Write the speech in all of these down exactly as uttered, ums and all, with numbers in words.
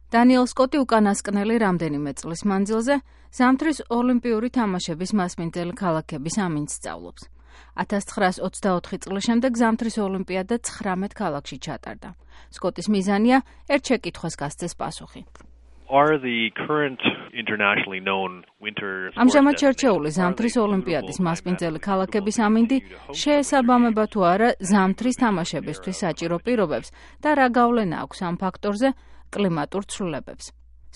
დანიელ სკოტი უკანასკნელი რამდენიმე წლის მანძილზე ზამთრის ოლიმპიური თამაშების მასპინძელი ქალაქების ამინდს სწავლობს. ათას ცხრაას ოცდაოთხი წლის შემდეგ ზამთრის ოლიმპიადა ცხრამეტ ქალაქში ჩატარდა. სკოტის მიზანია ერთ შეკითხვას გასცეს პასუხი. Are the current internationally known winter ამჟამად შერჩეული ზამთრის ოლიმპიადის მასპინძელი ქალაქების ამინდი შეესაბამება თუ არა ზამთრის თამაშებისთვის საჭირო პირობებს და რა გავლენა აქვს ამ ფაქტორზე კლიმატურ ცვლილებებს.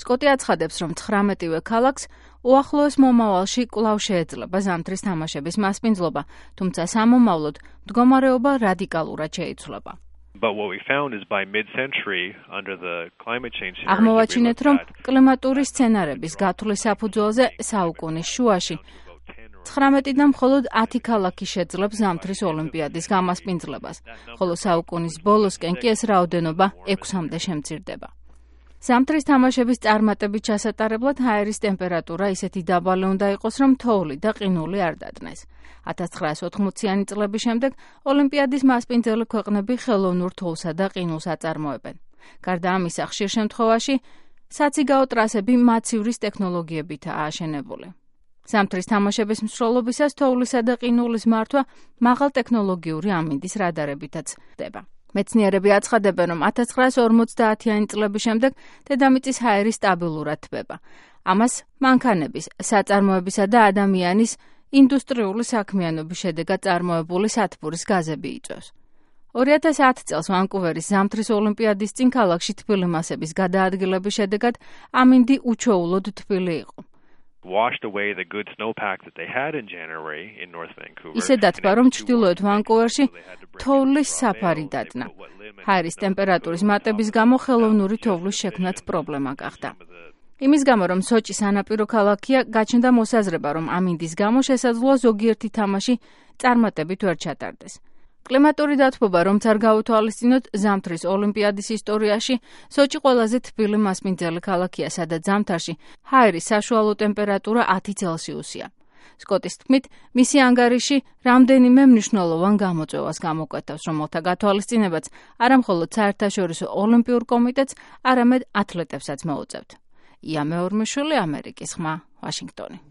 სკოტი აცხადებს, რომ ცხრამეტივე ქალაქს უახლოეს მომავალში კვლავ შეეძლება ზამთრის თამაშების მასპინძლობა, თუმცა სამომავლოდ მდგომარეობა რადიკალურად შეიცვლება. But what we found is by mid-century under the climate change scenario. აღმოვაჩინეთ, რომ კლიმატური სცენარების გათვლის საფუძველზე საუკუნის შუაში ცხრამეტიდან მხოლოდ ათი ქალაქი შეძლებს ზამთრის ოლიმპიადის გამასპინძლებას, ხოლო საუკუნის ბოლოსკენ კი ეს რაოდენობა ექვსამდე შემცირდება. ზამთრის თამაშების წარმატებით ჩასატარებლად ჰაერის ტემპერატურა ისეთი დაბალი უნდა იყოს, რომ თოვლი და ყინული არ დადნეს. ათას ცხრაას ოთხმოციანი წლების შემდეგ ოლიმპიადის მასპინძელი ქვეყნები ხელოვნურ თოვლსა და ყინულს აწარმოებენ. გარდა ამისა, ხშირ შემთხვევაში საციგაო ტრასები მაცივრის ტექნოლოგიებითაა აშენებული. ზამთრის თამაშების მსვლელობისას თოვლისა და ყინულის მართვა მაღალტექნოლოგიური ამინდის რადარებითაც ხდება. მეცნიერები აცხადებენ, რომ ათას ცხრაას ორმოცდაათიანი წლების შემდეგ დედამიწის ჰაერი სტაბილურად თბება. ამას მანქანების, საწარმოებისა და ადამიანის ინდუსტრიული საქმიანობის შედეგად წარმოებული სათბურის გაზები იწვევს. ორი ათას ათი წელს ვანკუვერის ზამთრის ოლიმპიადის წინ ქალაქში თბილი მასების გადაადგილების შედეგად ამინდი უჩვეულოდ თბილი იყო. washed away the good snowpack that they had in January in North Vancouver. ისე დათბა, რომ ჩრდილოეთ ვანკუვერში თოვლის საფარი დადნა. ჰაერის ტემპერატურის მატების გამო ხელოვნური თოვლის შექმნაც პრობლემა გახდა. იმის გამო, რომ სოჭი სანაპირო ქალაქია, გაჩნდა მოსაზრება, რომ ამინდის გამო შესაძლოა ზოგიერთი თამაში წარმატებით ვერ ჩატარდეს. კლიმატური დათბობა, რომც არ გაუთვალისწინოთ, ზამთრის ოლიმპიადის ისტორიაში სოჭი ყველაზე თბილი მასპინძელი ქალაქია, სადაც ზამთარში ჰაერის საშუალო ტემპერატურა ათი ცელსიუსია. სკოტის თქმით, მისი ანგარიში რამდენიმე მნიშვნელოვან გამოწვევას გამოკვეთავს, რომელთა გათვალისწინებაც არამხოლოდ საერთაშორისო ოლიმპიურ კომიტეტს, არამედ ათლეტებსაც მოუწევთ. ია მეორმიშვილი, ამერიკის ხმა, ვაშინგტონი.